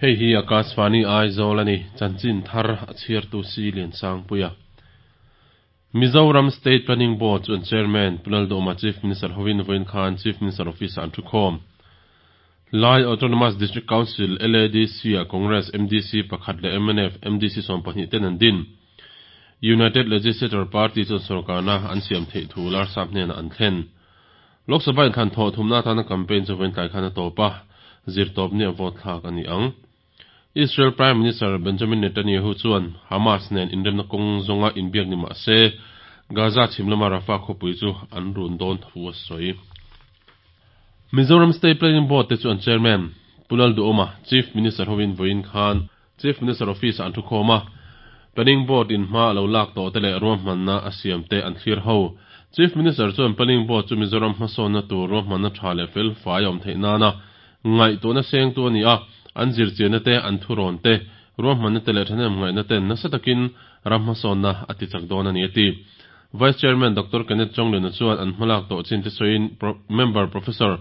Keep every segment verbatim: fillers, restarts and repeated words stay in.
Hei hi Akashvani Aizawl ani chanchin thar a chhiartu si lian sangpuia. Mizoram State Planning Board chuan Chairman Pu Lalduhoma Chief Minister hovin vawiin khan Chief Minister Office an thu khawm. Lai Autonomous District Council LADC a Congress MDC pakhat leh MNF MDC sawm pahnih ten an din. United Legislature Party chuan sorkarna an siam theih thu larsap hnenah an thlen. Lok Sabha inthlan thawh thumna atana campaign chu vawiin tlai khan a tawp a, zir tawp ni a vote thlak a ni ang. Israel Prime Minister Benjamin Netanyahu chuan Hamas nen inremna kawng zawnga inbiak ni mah se Gaza chhim lama Rafah khawpui chu an run dawn thu a sawi. Mizoram State Planning Board te chuan Chairman Pu Lalduhoma Chief Minister hovin vawiin khan Chief Minister Office ah an thu khawm a, Planning Board in hma a lo lak tawh te leh ruahmanna a siam te an thlir ho. Chief Minister chuan Planning Board chu Mizoram hmasawnna tur ruahmanna tha leh fel fai a awm theih nana ngaihtuahna sengtu a ni a, an zirchianna te, an thurawn te, ruahmanna te leh thahnem ngaihna ten nasa takin ram hmasawnna a ti chak dawn a ni a ti. Vice Chairman Doctor Kenneth Chawngliana chuan an hmalak tawh chin te sawiin Member Professor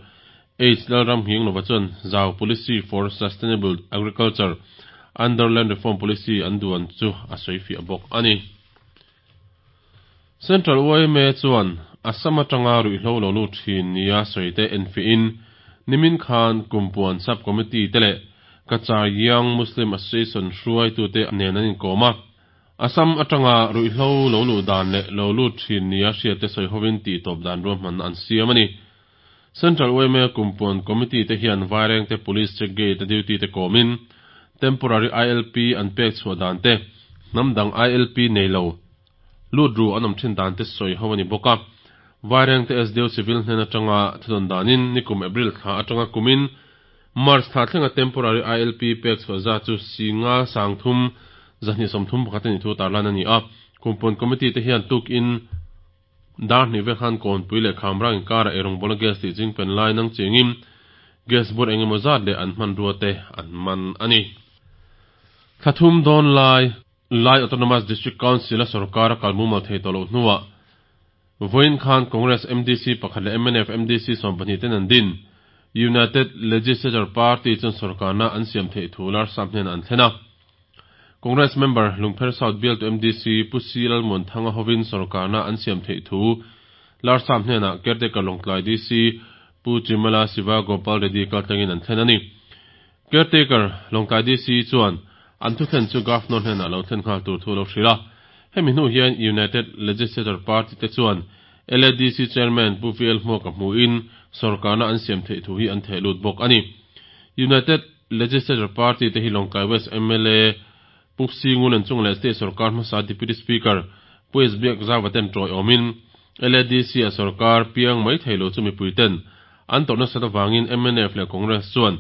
H Lalramnghinglova chuan Zau Policy for Sustainable Agriculture under Land Reform Policy an duan chu a sawi fiah bawk a ni. Central YMA chuan Assam atanga ruihhlo lo lut thin nia sawi te enfiahin nimin khan Kumpuan Sub Committee te leh Cachar Young Muslim Association hruaitute nen an inkawm a. Assam atanga ruihhlo lo luh dan leh lo lut thin nia hriat te sawi hovin tih tawp dan ruahmanna an siam a ni. Central YMA Kumpuan Committee te hian Vairengte Police Check Gate a duty te kawmin Temporary ILP an pek chhuah dan te, hnam dang ILP nei lo lut ru an awm thin dan te sawi ho a ni bawk a. Vairengte SDO Civil hnen atanga thudawn danin nikum April thla atanga kumin March thla thlenga Temporary ILP pek chhuah zat chu singa sangthum zahnih sawmthum pakhat a nih thu tarlan a ni a. Kumpuan Committee te hian tukin dar hnih vel khan kawnpui leh khamrang inkarah eirawng bawlna gas tih chingpen lai nang chengin gas bur eng emaw zat leh an hmanrua te an man a ni. Thlathum dawn lai Lai Autonomous District Council a sorkar a kal mumal thei tawh loh hnuah vawiin khan Congress MDC pakhat leh MNF MDC sawm pahnih ten an din. United Legislature Party chuan sorkarna an siam theih thu larsap hnenah an thlen a. Congress member Lungpher South bialtu MDC Pu C Lalmuanthanga hovin sorkarna an siam theih thu larsap hnenah caretaker Lawngtlai DC Pu Chimala Siva Gopal Reddy kaltlangin an thlen a ni. Caretaker Lawngtlai DC chuan an thu thlen chu Governor hnenah lo thlen nghal tur thu lo hrilh a. Hemi hnu hian United Legislature Party te chuan LADC Chairman Pu V L Hmuaka hmuin sorkarna an siam theih thu hi an theh lut bawk a ni. United Legislature Party te hi Lawngtlai West MLA Pu Singun an chung leh State sorkar hmasa Deputy Speaker Pu S Biakzauva ten tawi awmin LADC a sorkar piang mai thei lo chu mipui ten an tawrhna sat avangin MNF leh Congress chuan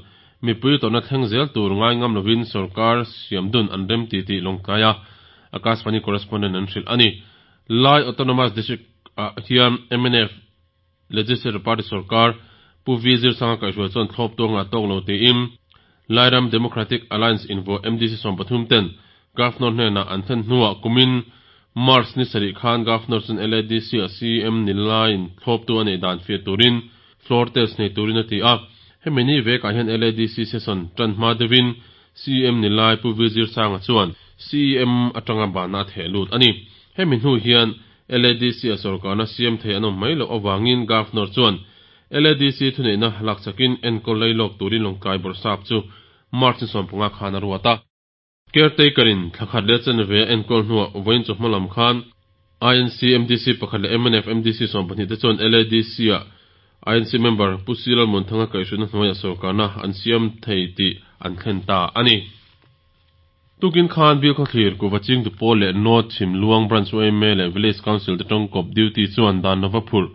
mipui tawrhna thleng zel tur ngai ngam lovin sorkar siam dun an rem ti tih Lawngtlai a Akashvani correspondent an hrilh a ni. Lai Autonomous District ah hian MNF Legislature Party sorkar Pu V Zirsanga kaihhruai chuan thlawp tuanga tawk lo tiin Lairam Democratic Alliance invuah MDC sawm pathum ten Governor hnenah an thlen hnuah kumin March ni sarih khan Governor chuan LADC a CM ni laiin thlawp tu a neih dan fiah turin floor test nei turin a ti a. Hemi ni vekah hian LADC session tan hma deuhin CM ni lai Pu V Zirsanga chuan CM atanga bana a theh lut a ni. Hemi hnu hian LADC a sorkarna siam thei an awm mai loh awangin Governor chuan LADC thuneihna lakchakin enkawl lei lawk turin Lawngtlai bawrhsap chu March ni sawm panga khan a ruat a. Caretaker in thlakhat leh chanve a enkawl hnuah vawiin chu hma lam khan INC MDC pakhat leh MNF MDC sawm pahnih te chuan LADC a INC member Pu C Lalmuanthanga kaihhruaina hnuaiah sorkarna an siam thei tih an thlen ta a ni. Tukin khan Bill Khawthlir Kuva Chingtu Pawl leh North Chhim Luang Branch YMA leh Village Council te tawngkawp duty chuan dan lova phurh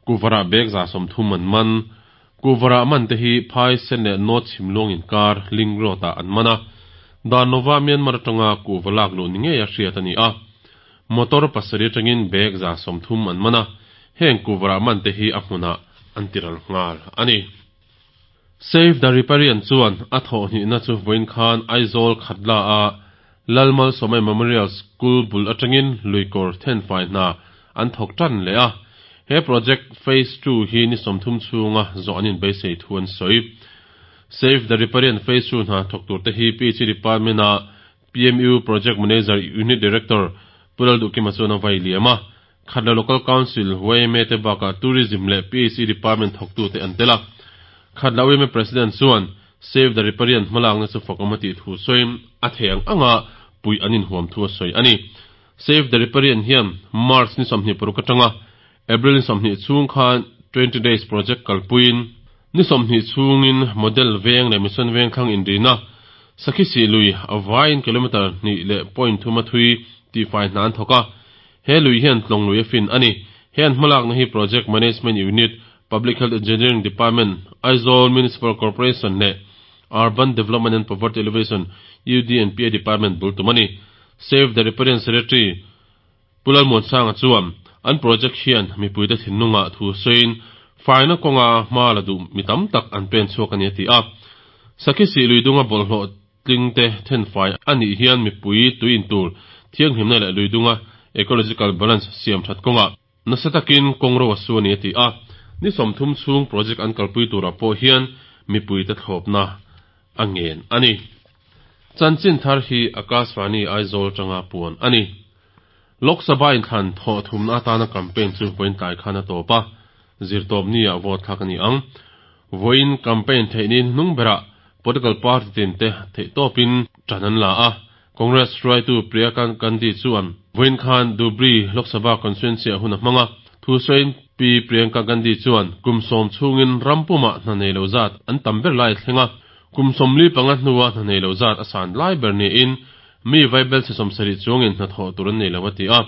Kuvarah bag za sawmthum an man. Kuvarah man te hi Phai Sen leh North Chhim Luang inkar Link Road ah an man a. Dan lova Myanmar atanga kuva lak luh ni ngei a hriat a ni a. Motor pasarih atangin bag za sawmthum an man a. Heng kuvarah man te hi a hmunah an tiral nghal a ni. Save the Riparian chuan a thawh hnihna chu vawiin khan Aizawl Khatla a Lalmal Sawmai Memorial School bul atangin luikawr thenfai hna an thawk tan leh a. He project phase two hi ni sawmthum chhunga zawh an inbeisei thu an sawi. Save the Riparian Phase two hna thawk tur te hi P H E Department a P M U Project Manager Unit Director Pu Lalduhkima chuan a vai liam a. Khatla Local Council, Y M A te bakah Tourism leh P H E Department thawktute an tel a. Khatla Y M A President chuan Save the Riparian hmalakna chu fakawm a tih thu sawiin a thei ang anga pui an inhuam thu a sawi a ni. Save the Riparian hian March ni sawmhnih paruk atanga April ni sawmhnih chhung khan twenty days project kalpuiin ni sawmhnih chhungin Model Veng leh Mission Veng thlang inrina Sakhi lui a vaiin kilometre hnih leh point thuma thui tihfai hna an thawk a. He lui hian Tlawng lui a fin a ni. He an hmalakna hi Project Management Unit, Public Health Engineering Department, Aizawl Municipal Corporation leh Urban Development and Poverty Alleviation, U D and P A Department bul tum a ni. Save the Riparian Secretary Pu Lalmuansanga chuan an project hian mipuite thinlungah thu sawiin faina kawnga hma la duh mi tam tak an pen chhuak a ni a ti a. Sakhi lui dunga bawlhhlawh tling te thenfai a nih hian mipui tuin tur thianghlimna leh lui dunga ecological balance siam that kawnga nasa takin kawngro a su a ni a ti a. Ni sawmthum chhung project an kalpui turah pawh hian mipuite thlawpna a ngen a ni. Chanchin thar hi Akashvani Aizawl tanga puan a ni. Lok Sabha inthlan thawh thumna atana campaign chu vawiin tlai khan a tawp a. Zirtawp ni a vote thlak a ni ang. Vawiin campaign theihni hnung berah political party tin te theih tawpin ṭan an la a. Congress hruaitu Priyanka Gandhi chuan vawiin khan Dhubri Lok Sabha constituency a hun a hmang a. Thu sawiin Pi Priyanka Gandhi chuan kum sawm chhungin rampumah hna nei lo zat an tam ber lai thleng a. Kum sawmli panga hnuah hna nei lo zat a san lai ber niin mi vaibel chhe sawmsarih chuangin hna thawh tur an nei lo a ti a.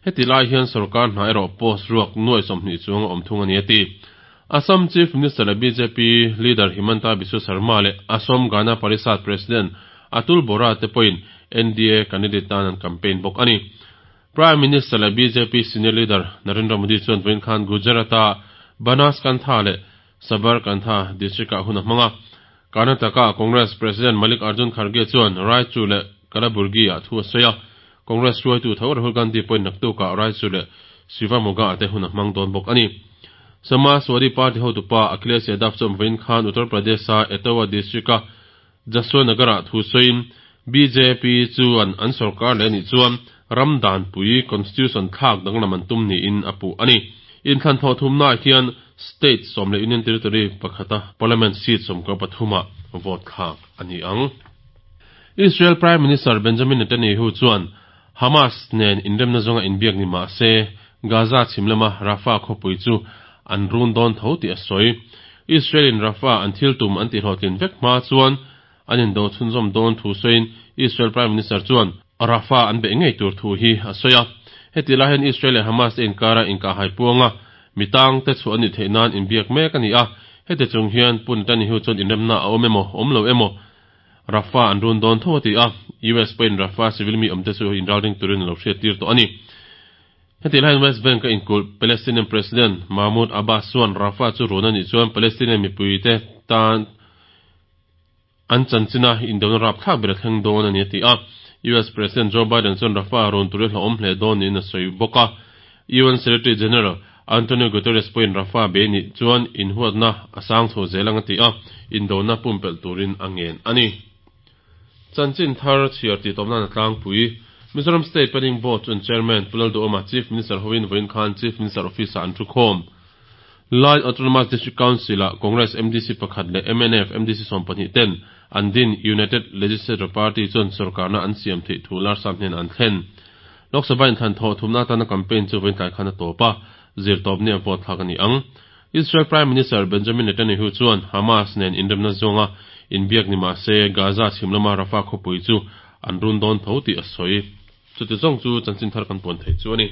Heti lai hian sarkar hna erawh post ruak nuai sawmhnih chuang a awm thung a ni a ti. Assam Chief Minister leh B J P leader Himanta Biswa Sarma leh Asom Gana Parishad President Atul Bora te pawhin N D A candidate tan an campaign bawk a ni. Prime Minister leh B J P senior leader Narendra Modi chuan vawiin khan Gujarata Banaskantha leh Sabarkantha district ah hun a hmang a. Karnataka Congress President Mallikarjun Kharge chuan Raichur leh Kalaburgi ah thu a sawi a. Congress hruaitu tho Rahul Gandhi pawhin naktukah Raichur leh Shivamogga te hun a hmang dawn bawk a ni. Samajwadi Party hotupa Akhilesh Yadav chuan vawiin khan Uttar Pradesh a Etawah district a Jaswantnagar ah thu sawiin B J P chuan an sarkar leh anih chuan ram danpui constitution thlak danglam an tum niin a puh a ni. Inthlan thawh thumnaah hian state sawm leh union territory pakhata parliament seat sawmkua pathumah vote thlak a ni ang. Israel Prime Minister Benjamin Netanyahu chuan Hamas nen inremna zawnga inbiak ni mah se Gaza chhim lama Rafah khawpui chu an run dawn tho tih a sawi. Israel in Rafah an thil tum an tihhlawhtlin vek hma chuan an indo chhunzawm dawn thu sawiin Israel Prime Minister chuan Rafah an beih ngei tur thu hi a sawi a. Heti lai hian Israel leh Hamas te inkara inkahhai puanga mitang te chu an ni theih nan inbiak mek a ni a. Heti chung hian Pu Netanyahu chuan inremna a awm emaw awm lo emaw Rafah an run dawn tho a ti a. U S pawhin Rafah civil mi awm te chu inralring turin a lo hriat tir tawh a ni. Heti lai hian West Bank a inkulh Palestinian President Mahmoud Abbas chuan Rafah chu run anih chuan Palestinian mipui te tan an chanchina indona rap thlak ber a thleng dawn a ni a ti a. U S President Joe Biden chuan Rafah run turin hlauhawm hle dawn niin a sawi bawk a. U N Secretary General Antonio Guterres pawhin Rafah be ni chuan inhuatna a sang chho zel ang a ti a. Indona pumpelh turin a ngen a ni. Chanchin thar chhiar ti tawpna na tlangpui. Mizoram State Planning Board chuan Chairman Pu Lalduhoma Chief Minister hovin vawiin khan Chief Minister Office ah an thu khawm. Lai Autonomous District Council ah Congress M D C pakhat leh M N F M D C sawm pahnih ten an din United Legislature Party chuan sarkarna an siam theih thu Larsap hnen an thlen. Lok Sabha inthlan thawh thumna atana campaign chu vawiin tlai khan a tawp a. Zirtawp ni a vote thlak a ni ang. Israel Prime Minister Benjamin Netanyahu chuan Hamas nen inremna zawnga inbiak ni mah se Gaza chhim lama Rafah khawpui chu an run dawn tho tih a sawi. Chuti zawng chu chanchin thar kan puan theih chu a ni.